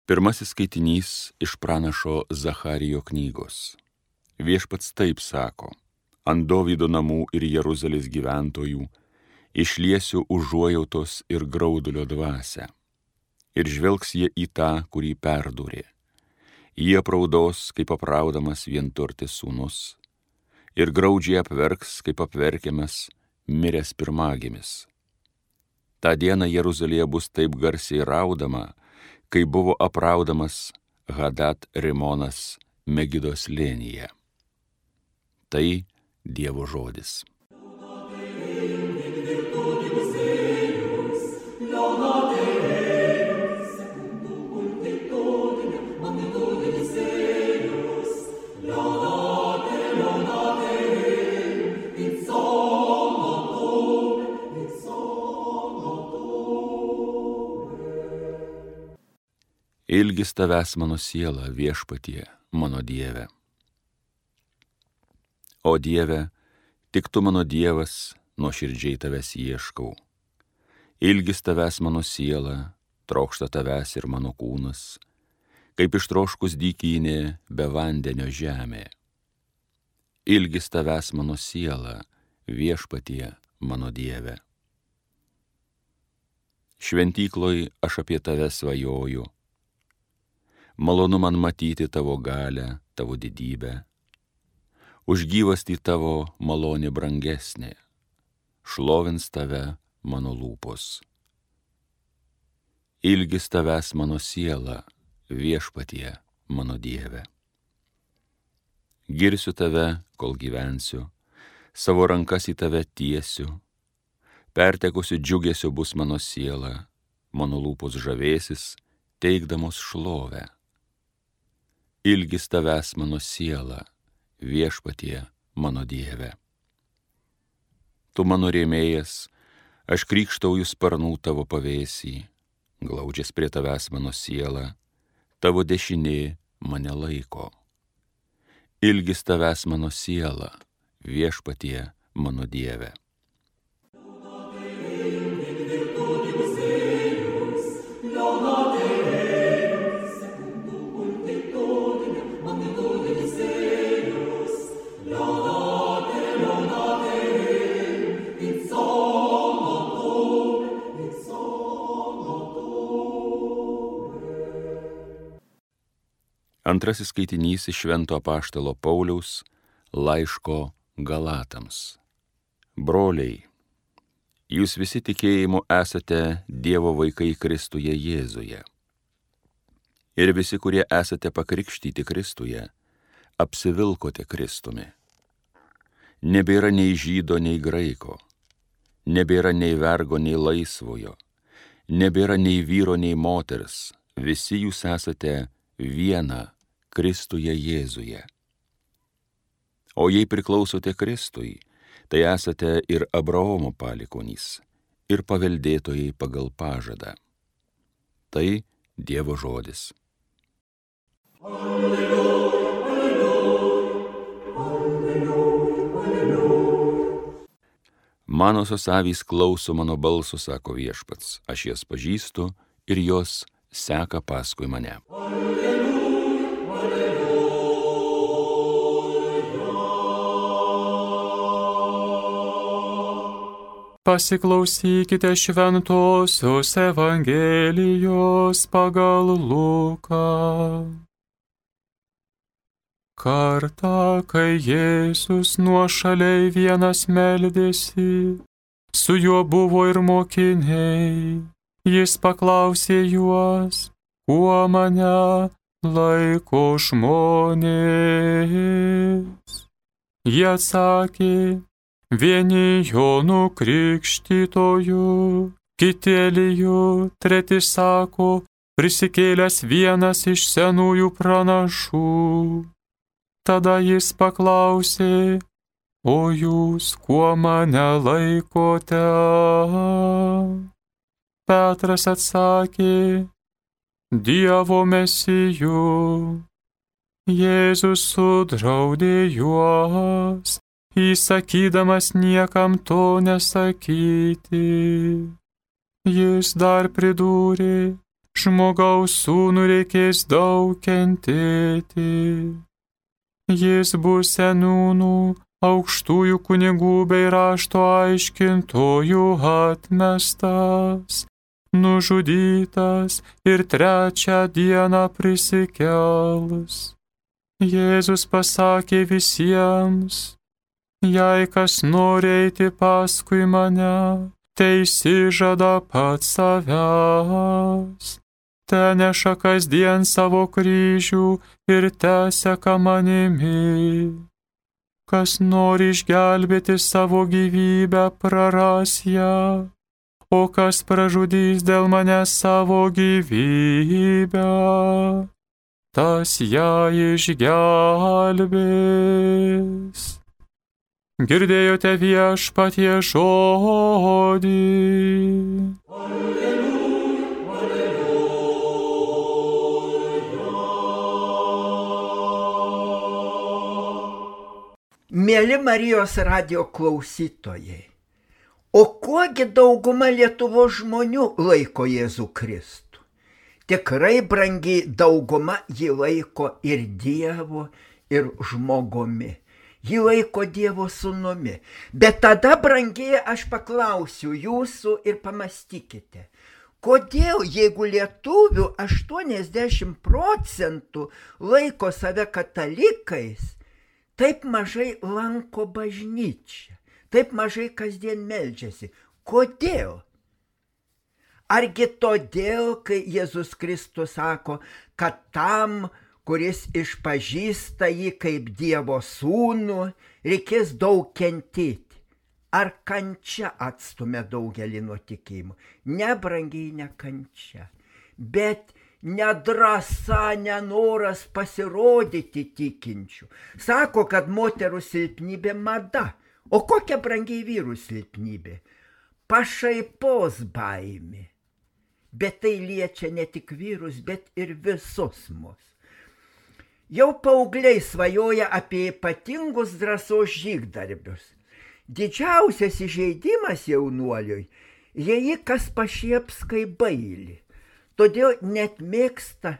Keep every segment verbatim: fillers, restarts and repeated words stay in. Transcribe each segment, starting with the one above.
Pirmasis skaitinys iš pranašo Zacharijo knygos. Viešpats taip sako: ant Dovydo namų ir Jeruzalės gyventojų išliesiu užuojautos ir graudulio dvasią. Ir žvelgs jie į tą, kurį perdūrė. Jie apraudos, kaip apraudamas vienturtis sūnus, ir graudžiai apverks, kaip apverkiamas miręs pirmagimis. Ta diena Jeruzalėje bus taip garsiai raudama, kai buvo apraudamas Hadat Rimonas Megido slėnyje. Tai Dievo žodis. Ilgis tavęs mano siela, viešpatie, mano Dieve. O Dieve, tik tu mano Dievas, nuoširdžiai tavęs ieškau. Ilgis tavęs mano siela, trokšta tavęs ir mano kūnas, kaip ištroškus dykynė be vandenio žemė. Ilgis tavęs mano siela, viešpatie, mano Dieve. Šventykloj aš apie tave svajoju. Malonu man matyti tavo galę, tavo didybę. Už gyvastį tavo malonė brangesnė. Šlovins tave mano lūpos. Ilgis tavęs mano siela, viešpatie, mano Dieve. Girsiu tave, kol gyvensiu, savo rankas į tave tiesiu. Pertekusiu džiugesiu bus mano siela, mano lūpos žavėsis, teikdamos šlovę. Ilgis tavęs mano siela, viešpatie, mano Dieve. Tu mano rėmėjas, aš krykštauju sparnų tavo pavėsį, glaudžias prie tavęs mano siela, tavo dešinė mane laiko. Ilgis tavęs mano siela, viešpatie, mano Dieve. Antrasis skaitinys iš Švento apaštalo Pauliaus laiško Galatams. Broliai, jūs visi tikėjimu esate Dievo vaikai Kristuje Jėzuje. Ir visi, kurie esate pakrikštyti Kristuje, apsivilkote Kristumi. Nebėra nei žydo, nei graiko, nebėra nei vergo, nei laisvojo, nebėra nei vyro, nei moters, visi jūs esate viena Kristuje Jėzuje. O jei priklausote Kristui, tai esate ir Abraomo palikuonys, ir paveldėtojai pagal pažadą. Tai Dievo žodis. Alleluja, alleluja, alleluja, alleluja. Manosios avys klauso mano balso, sako Viešpats, aš jas pažįstu ir jos seka paskui mane. Alleluja. Pasiklausykite šventosios Evangelijos pagal Luką. Kartą, kai Jėzus nuošaliai vienas meldėsi, su juo buvo ir mokiniai, jis paklausė juos, kuo mane laiko žmonės. Jie atsakė, vieni Jonu Krikštytoju, kiti Eliju, treti sako, prisikėlęs vienas iš senųjų pranašų. Tada jis paklausė, o jūs kuo mane laikote? Petras atsakė, Dievo Mesiju. Jėzus sudraudė juos, įsakydamas niekam to nesakyti. Jis dar pridūrė, žmogaus sūnų reikės daug kentėti. Jis bus seniūnų, aukštųjų kunigų bei rašto aiškintojų atmestas, nužudytas ir trečią dieną prisikels. Jėzus pasakė visiems: jei kas nori eiti paskui mane, teisižada pats savęs, teneša kasdien savo kryžių ir teseka manimi. Kas nori išgelbėti savo gyvybę, praras ją, o kas pražudys dėl manęs savo gyvybę, tas ją išgelbės. Girdėjote Viešpatie žodį. Alleluja, alleluja. Mėly Marijos radijo klausytojai, o kuogi dauguma Lietuvos žmonių laiko Jėzų Kristų? Tikrai brangiai dauguma jį laiko ir Dievu, ir žmogumi. Jį laiko Dievo sūnumi. Bet tada, brangiai, aš paklausiu jūsų ir pamastykite, kodėl, jeigu lietuvių aštuoniasdešimt procentų laiko save katalikais, taip mažai lanko bažnyčią, taip mažai kasdien meldžiasi? Kodėl? Argi todėl, kai Jėzus Kristus sako, kad tam, kuris išpažįsta jį kaip Dievo sūnų, reikės daug kentėti? Ar kančia atstumia daugelį nuo tikėjimo? Ne, brangiai, ne kančia, bet nedrąsa, nenoras pasirodyti tikinčių. Sako, kad moterų silpnybė mada. O kokia, brangiai, vyrų silpnybė? Pašaipos baimė. Bet tai liečia ne tik vyrus, bet ir visus mus. Jau paaugliai svajoja apie ypatingus drąsos žygdarbius. Didžiausias įžeidimas jaunuoliui, jei jį kas pašieps kaip bailį. Todėl net mėgsta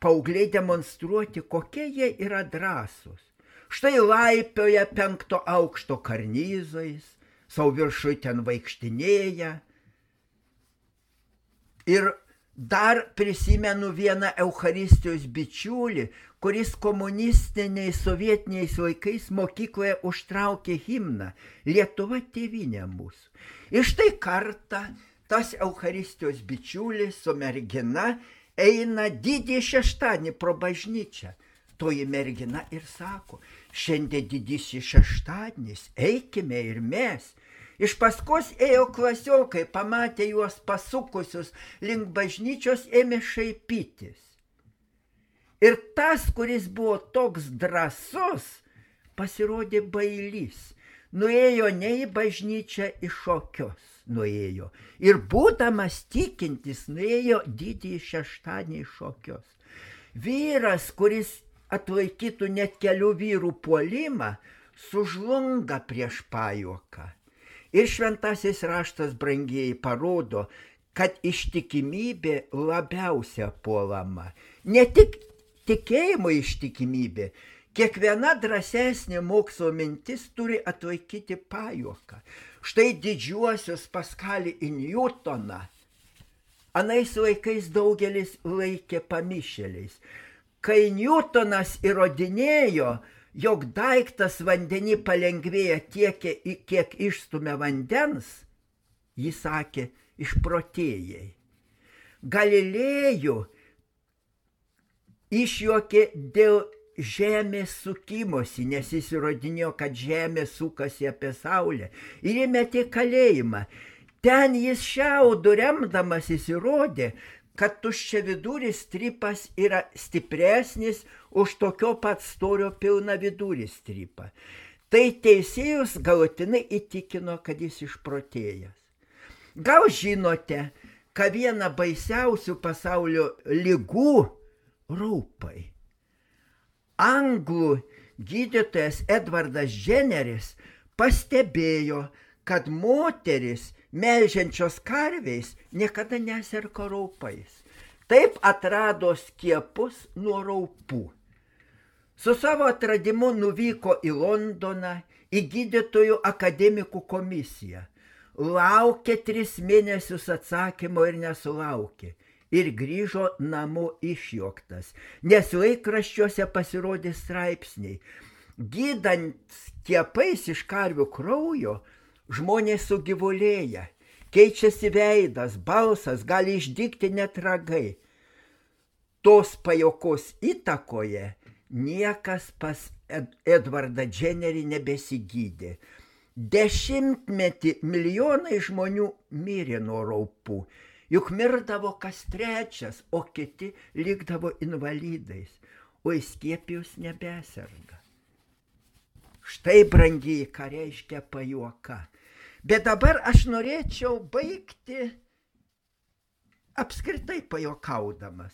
paaugliai demonstruoti, kokie jie yra drąsūs. Štai laipioja penkto aukšto karnyzais, savo viršui ten vaikštinėja. Ir dar prisimenu vieną Eucharistijos bičiulį, kuris komunistiniais sovietiniais laikais mokykloje užtraukė himną Lietuva tėvynė mūsų. Ir štai kartą tas Eucharistijos bičiulis su mergina eina didįjį šeštadienį pro bažnyčią. Toji mergina ir sako: šiandien didysis šeštadienis, eikime ir mes. Iš paskos ėjo klasiokai, pamatė juos pasukusius link bažnyčios, ėmė šaipytis. Ir tas, kuris buvo toks drąsus, pasirodė bailys. Nuėjo ne į bažnyčią, į šokius nuėjo. Ir būdamas tikintis, nuėjo didįjį šeštadienį į šokius. Vyras, kuris atlaikytų net kelių vyrų puolimą, sužlunga prieš pajuoką. Ir šventasis raštas, brangieji, parodo, kad ištikimybė labiausia puolama. Ne tik tikėjimo ištikimybė, kiekviena drąsesnė mokslo mintis turi atlaikyti pajuoką. Štai didžiuosius Paskalį ir Newtoną anais laikais daugelis laikė pamišėliais. Kai Newtonas įrodinėjo, jog daiktas vandenį palengvėja tiek, kiek išstumia vandens, jis sakė: išprotėjai. Galilėjų išjuokė dėl žemės sukimosi, nes jis įrodinėjo, kad žemė sukasi apie saulę, ir įmetė kalėjimą. Ten jis šiaudu remdamasis įrodė, kad tuščiaviduris strypas yra stipresnis už tokio pat storio pilnaviduris strypą. Tai teisėjus galutinai įtikino, kad jis išprotėjęs. Gal žinote, kad viena baisiausių pasaulio ligų raupai. Anglų gydytojas Edvardas Jenneris pastebėjo, kad moteris melžiančios karviais niekada neserga raupais. Taip atrado skiepus nuo raupų. Su savo atradimu nuvyko į Londoną, į gydytojų akademikų komisiją. Laukė tris mėnesius atsakymo ir nesulaukė. Ir grįžo namo išjuoktas, nes laikraščiuose pasirodė straipsniai. Gydant skiepais iš karvių kraujo, žmonės sugyvulėja, keičiasi veidas, balsas, gali išdygti net ragai. Tos pajokos įtakoje niekas pas Edvardą Jennerį nebesigydė. Dešimtmetį milijonai žmonių mirė nuo raupų. Juk mirdavo kas trečias, o kiti likdavo invalidais, o įskiepijus nebeserga. Štai, brangieji, ką reiškia pajuoka. Bet dabar aš norėčiau baigti apskritai pajokaudamas.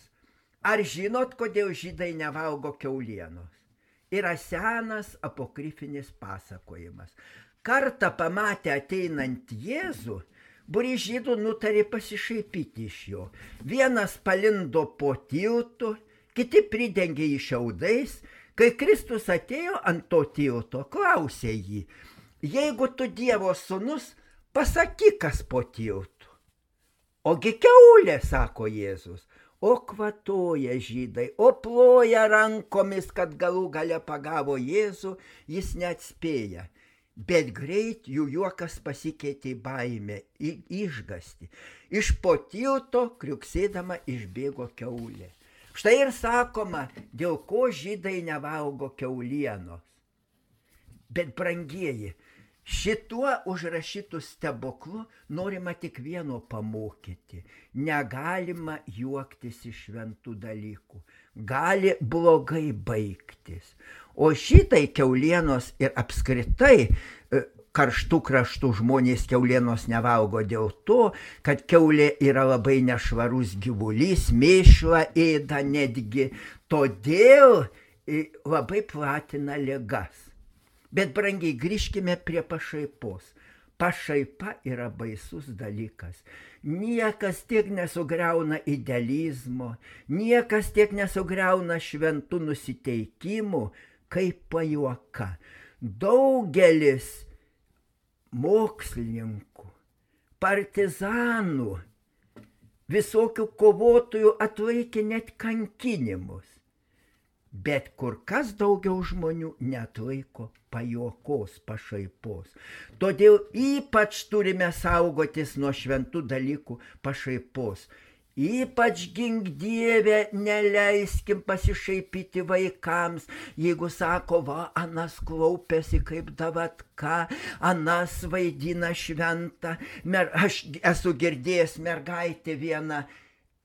Ar žinot, kodėl žydai nevalgo kiaulienos? Yra senas apokrifinis pasakojimas. Kartą pamatę ateinant Jėzų, būrys žydų nutarė pasišaipyti iš jo. Vienas palindo po tiltu, kiti pridengė jį šiaudais. Kai Kristus atėjo ant to tilto, klausė jį: jeigu tu Dievo sūnus, pasakyk, kas po tiltu. Ogi kiaulė, sako Jėzus. O kvatoja žydai, o ploja rankomis, kad galų gale pagavo Jėzų, jis neatspėja. Bet greit jų juokas pasikeitė į baimę, į išgąstį. Iš po tilto kriuksėdama išbėgo kiaulė. Štai ir sakoma, dėl ko žydai nevalgo kiaulienos. Bet, brangieji, šituo užrašytų stebuklu norima tik vieno pamokyti. Negalima juoktis iš šventų dalykų. Gali blogai baigtis. O šitai kiaulienos ir apskritai karštų kraštų žmonės kiaulienos nevalgo dėl to, kad kiaulė yra labai nešvarus gyvulys, mėšlą ėda netgi, todėl labai platina ligas. Bet, brangiai, grįžkime prie pašaipos. Pašaipa yra baisus dalykas. Niekas tiek nesugriauna idealizmo, niekas tiek nesugriauna šventų nusiteikimų, kaip pajuoka. Daugelis mokslininkų, partizanų, visokių kovotojų atlaikė net kankinimus. Bet kur kas daugiau žmonių neatlaiko pajuokos, pašaipos. Todėl ypač turime saugotis nuo šventų dalykų pašaipos. Ypač gink Dieve, neleiskim pasišaipyti vaikams, jeigu sako, va, anas klaupiasi kaip davatka, anas vaidina šventą. Mer, aš esu girdėjęs mergaitę vieną,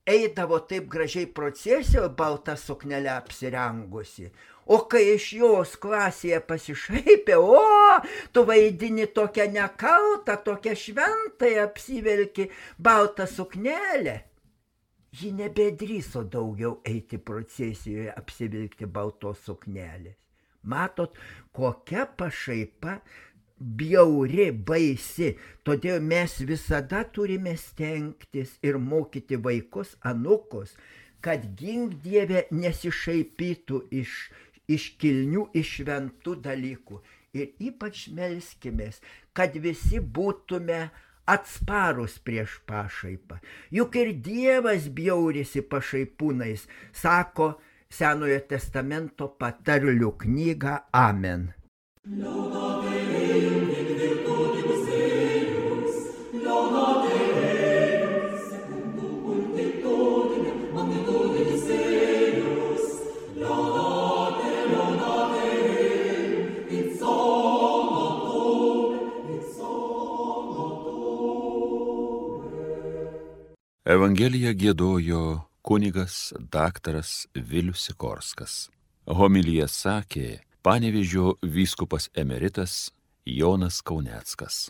eidavo taip gražiai procesijoje, baltą suknelę apsirengusi. O kai iš jos klasėje pasišaipė, o, tu vaidini tokią nekaltą, tokią šventąją, apsivelki baltą suknelę. Ji nebedrįso daugiau eiti procesijoje, apsivilkti baltos suknelės. Matot, kokia pašaipa bjauri, baisi. Todėl mes visada turime stengtis ir mokyti vaikus, anūkus, kad gink Dieve nesišaipytų iš, iš kilnių, iš šventų dalykų. Ir ypač melskimės, kad visi būtume atsparus prieš pašaipą. Juk ir Dievas bjaurisi pašaipūnais, sako Senojo testamento patarlių knyga. Amen. Evangeliją giedojo kunigas daktaras Vilius Sikorskas. Homiliją sakė Panevėžio vyskupas emeritas Jonas Kauneckas.